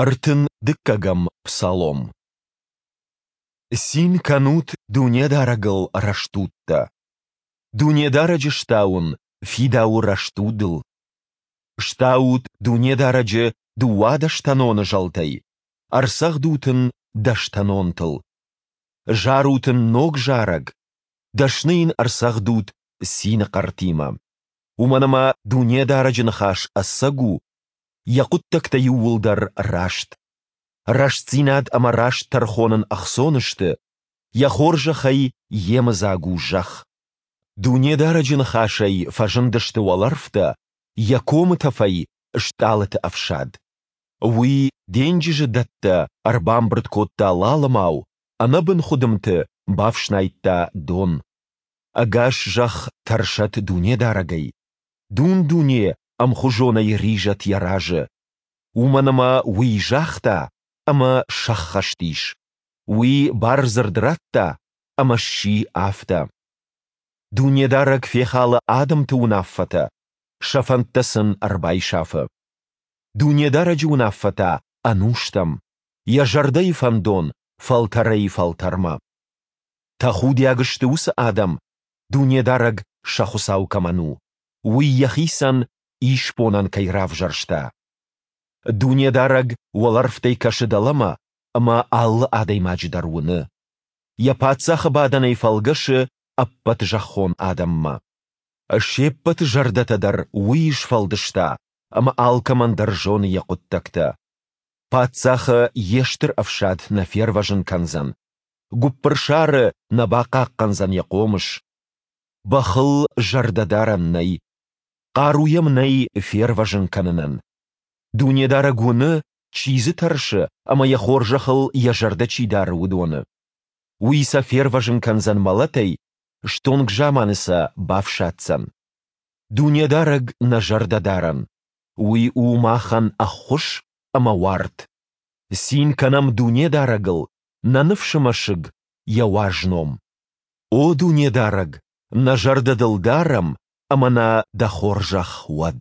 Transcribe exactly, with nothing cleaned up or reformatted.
Ӕртын дыккӕгӕм псалом. Цин кӕнут Дунедарӕгыл, рӕстудтӕ! Дунедарӕджы стауын фидауы рӕстудыл. Стаут Дунедарӕджы дыууадӕстӕноны зӕлтӕй, ӕрцӕгъдут Ын дӕстӕнонтыл. Зарут Ын ног зарӕг, дӕсны Йын ӕрцӕгъдут цины хъӕртимӕ. Уымӕн ӕмӕ Дунедарӕджы ныхас ӕцӕг у, Йӕ хъуыддӕгтӕ иууылдӕр раст. Рӕстдзинад ӕмӕ раст тӕрхон ын ӕхцон сты, Йӕ хорзӕхӕй йемыдзаг у зӕхх. Дунедарӕджы ныхасӕй фӕзындысты уӕлӕрвтӕ, Йӕ комы тӕфӕй стъалыты ӕфсад. Уый денджызы дӕттӕ ӕрбамбырд кодта лалымау, ӕнӕбын хуыдымты бафснайдта дон. Ӕгас зӕхх тӕрсӕд Дунедарӕгӕй, дун-дуне ӕмхуызонӕй ризӕд Йӕ разы. Уымӕн ӕмӕ Уый загъта, ӕмӕ сӕххӕст ис, Уый бардзырд радта, ӕмӕ сси афтӕ. Дунедарӕг фехалы адӕмты уынаффӕтӕ, сӕ фӕндтӕ сын ӕрбайсафы. Дунедарӕджы уынаффӕ та ӕнустӕм, Йӕ зӕрдӕйы фӕндон фӕлтӕрӕй-фӕлтӕрмӕ. Тӕхудиаг сты уыцы адӕм, Дунедарӕг сӕ Хуыцау кӕмӕн у, Уый йӕхицӕн исбонӕн кӕй равзӕрста. Дунедарӕг уӕлӕрвтӕй кӕсы дӕлӕмӕ ӕмӕ алы адӕймаджы дӕр уыны. Йӕ паддзахы бадӕнӕй фӕлгӕсы ӕппӕт зӕххон адӕммӕ. Се ппӕты зӕрдӕтӕ дӕр Уый сфӕлдыста ӕмӕ алкӕмӕн дӕр зоны йӕ хъуыддӕгтӕ. Паддзахы йе стыр ӕфсад нӕ фервӕзын кӕндзӕн, гуыппырсары нӕ бахъахъхъӕндзӕн йӕ хъомыс. Бӕхыл зӕрдӕ дарӕн нӕй, хъару йӕм нӕй фервӕзын кӕнынӕн. Дунедарӕг уыны, чи дзы тӕрсы ӕмӕ йӕ хорзӕхыл йӕ зӕрдӕ чи дары, уыдоны. Уый сӕ фервӕзын кӕндзӕн мӕлӕтӕй, стонг заманы сӕ бафсаддзӕн. Дунедарӕг нӕ зӕрдӕдарӕн, Уый у махӕн ӕххуыс ӕмӕ уарт. Цин кӕнӕм Дунедарӕгыл, нӕ ныфсы мӕсыг, Йӕ уаз ном. О Дунедарӕг, нӕ зӕрдӕ Дыл дарӕм, ӕмӕ нӕ Дӕ хорзӕх уӕд!